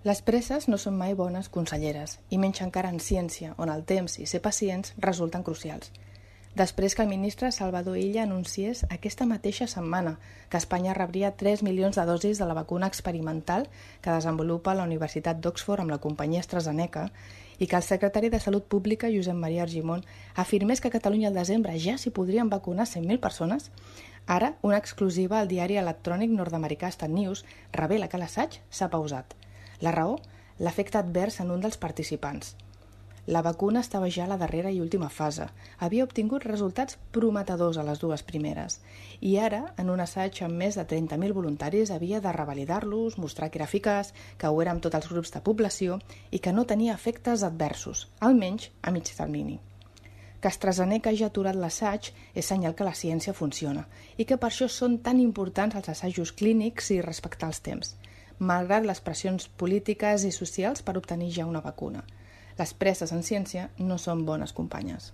Les presses no són mai bones conselleres, i menys encara en ciència, on el temps i ser pacients resulten crucials. Després que el ministre Salvador Illa anunciés aquesta mateixa setmana que Espanya rebria 3 milions de dosis de la vacuna experimental que desenvolupa la Universitat d'Oxford amb la companyia AstraZeneca i que el secretari de Salut Pública, Josep Maria Argimon, afirmés que a Catalunya al desembre ja s'hi podrien vacunar 100.000 persones, ara una exclusiva al diari electrònic nord-americà Stat News revela que l'assaig s'ha pausat. La raó? L'efecte advers en un dels participants. La vacuna estava ja a la darrera i última fase. Havia obtingut resultats prometedors a les dues primeres. I ara, en un assaig amb més de 30.000 voluntaris, havia de revalidar-los, mostrar que era eficaç, que ho era amb tots els grups de població i que no tenia efectes adversos, almenys a mig termini. Que AstraZeneca hagi aturat l'assaig és senyal que la ciència funciona i que per això són tan importants els assajos clínics i respectar els temps, malgrat les pressions polítiques i socials per obtenir ja una vacuna. Les presses en ciència no són bones companyes.